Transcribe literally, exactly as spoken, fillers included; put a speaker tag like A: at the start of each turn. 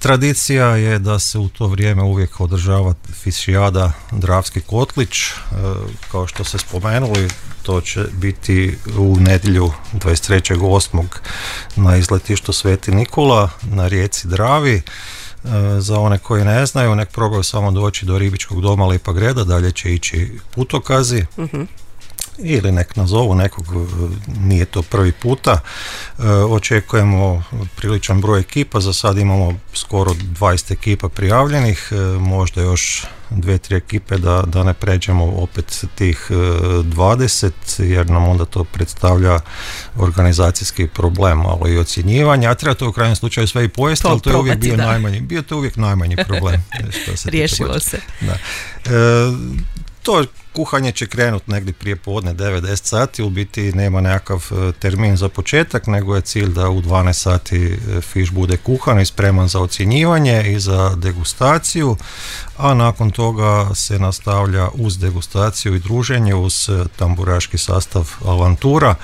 A: Tradicija je da se u to vrijeme uvijek održava fišijada Dravski kotlić, kao što ste spomenuli, to će biti u nedjelju dvadeset trećeg osmog na izletištu Sveti Nikola na rijeci Dravi. Za one koji ne znaju, nek probaju samo doći do ribičkog doma Lipa Greda, dalje će ići putokazi. Uh-huh. Ili nek nazovu nekog, nije to prvi puta. E, očekujemo priličan broj ekipa, za sad imamo skoro dvadeset ekipa prijavljenih, e, možda još dve, tri ekipe da, da ne pređemo opet tih dvadeset, jer nam onda to predstavlja organizacijski problem, ali i ocjenjivanje, a treba to u krajnjem slučaju sve i pojesti, ali to je uvijek bio da. najmanji, bio to uvijek najmanji problem. Što se
B: Riješilo se.
A: Da. E, to kuhanje će krenuti negdje prije podne devet do deset sati, u biti nema nekakav termin za početak, nego je cilj da u dvanaest sati fiš bude kuhan i spreman za ocjenjivanje i za degustaciju, a nakon toga se nastavlja uz degustaciju i druženje uz tamburaški sastav Avantura.